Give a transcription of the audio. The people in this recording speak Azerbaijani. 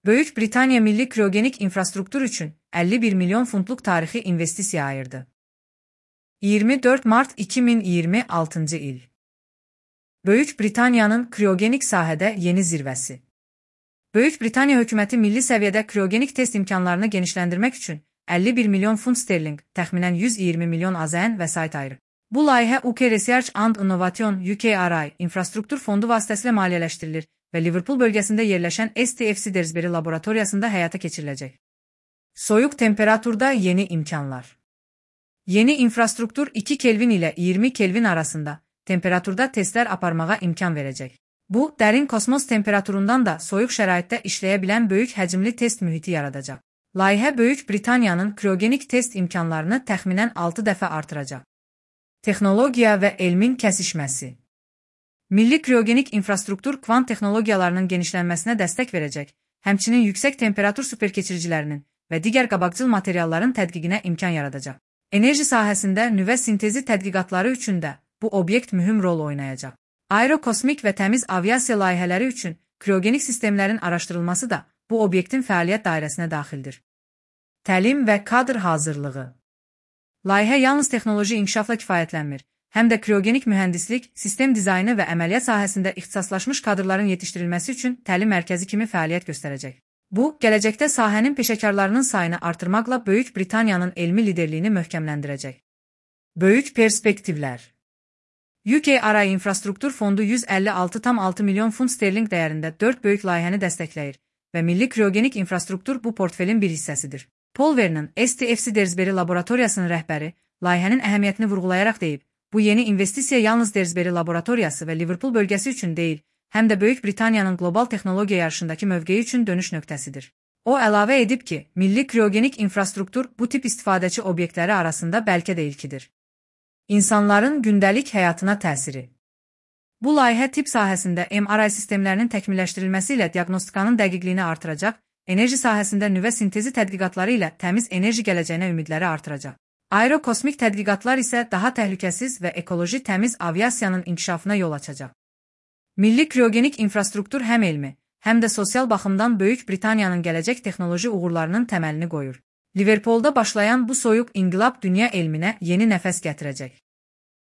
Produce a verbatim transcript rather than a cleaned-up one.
Böyük Britaniya milli kriogenik infrastruktur üçün əlli bir milyon funtluq tarixi investisiya ayırdı. iyirmi dörd mart iki min iyirmi altıncı il. Böyük Britaniyanın kriogenik sahədə yeni zirvəsi. Böyük Britaniya hökuməti milli səviyyədə kriogenik test imkanlarını genişləndirmək üçün əlli bir milyon funt sterling, təxminən yüz iyirmi milyon AZN vəsait ayırır. Bu layihə U K Research and Innovation U K R I infrastruktur fondu vasitəsilə maliyyələşdirilir və Liverpool bölgəsində yerləşən S T F Shrewsbury laboratoriyasında həyata keçiriləcək. Soyuq temperaturda yeni imkanlar. Yeni infrastruktur iki Kelvin ilə iyirmi Kelvin arasında temperaturda testlər aparmağa imkan verəcək. Bu, dərin kosmos temperaturundan da soyuq şəraitdə işləyə bilən böyük həcmli test mühiti yaradacaq. Layihə Böyük Britaniyanın kriogenik test imkanlarını təxminən altı dəfə artıracaq. Texnologiya və elmin kəsişməsi. Milli kriogenik infrastruktur kvant texnologiyalarının genişlənməsinə dəstək verəcək, həmçinin yüksək temperatur superkeçiricilərinin və digər qabaqcıl materialların tədqiqinə imkan yaradacaq. Enerji sahəsində nüvə sintezi tədqiqatları üçün də bu obyekt mühüm rol oynayacaq. Aerokosmik və təmiz aviasiya layihələri üçün kriogenik sistemlərin araşdırılması da bu obyektin fəaliyyət dairəsinə daxildir. Təlim və kadr hazırlığı. Layihə yalnız texnoloji inkişafla kifayətlənmir, həm də kriogenik mühəndislik, sistem dizaynı və əməliyyat sahəsində ixtisaslaşmış kadrların yetişdirilməsi üçün təlim mərkəzi kimi fəaliyyət göstərəcək. Bu, gələcəkdə sahənin peşəkarlarının sayını artırmaqla Böyük Britaniyanın elmi liderliyini möhkəmləndirəcək. Böyük perspektivlər. U K R I infrastruktur fondu yüz əlli altı tam altı milyon funt sterling dəyərində dörd böyük layihəni dəstəkləyir və milli kriogenik infrastruktur bu portfelin bir hissəsidir. Paul Vernon, S T F Shrewsbury laboratoriyasının rəhbəri, layihənin əhəmiyyətini vurğulayaraq deyib, bu yeni investisiya yalnız Shrewsbury laboratoriyası və Liverpool bölgəsi üçün deyil, həm də Böyük Britaniyanın qlobal texnologiya yarışındakı mövqeyi üçün dönüş nöqtəsidir. O əlavə edib ki, milli kriogenik infrastruktur bu tip istifadəçi obyektləri arasında bəlkə də ilkidir. İnsanların gündəlik həyatına təsiri. Bu layihə tibb sahəsində M R I sistemlərinin təkmilləşdirilməsi ilə diaqnostikanın dəqiqliyini artıracaq, enerji sahəsində nüvə sintezi tədqiqatları ilə təmiz enerji gələcəyinə ümidləri artıracaq. Aerokosmik tədqiqatlar isə daha təhlükəsiz və ekoloji təmiz aviasiyanın inkişafına yol açacaq. Milli kriogenik infrastruktur həm elmi, həm də sosial baxımdan Böyük Britaniyanın gələcək texnoloji uğurlarının təməlini qoyur. Liverpoolda başlayan bu soyuq inqilab dünya elminə yeni nəfəs gətirəcək.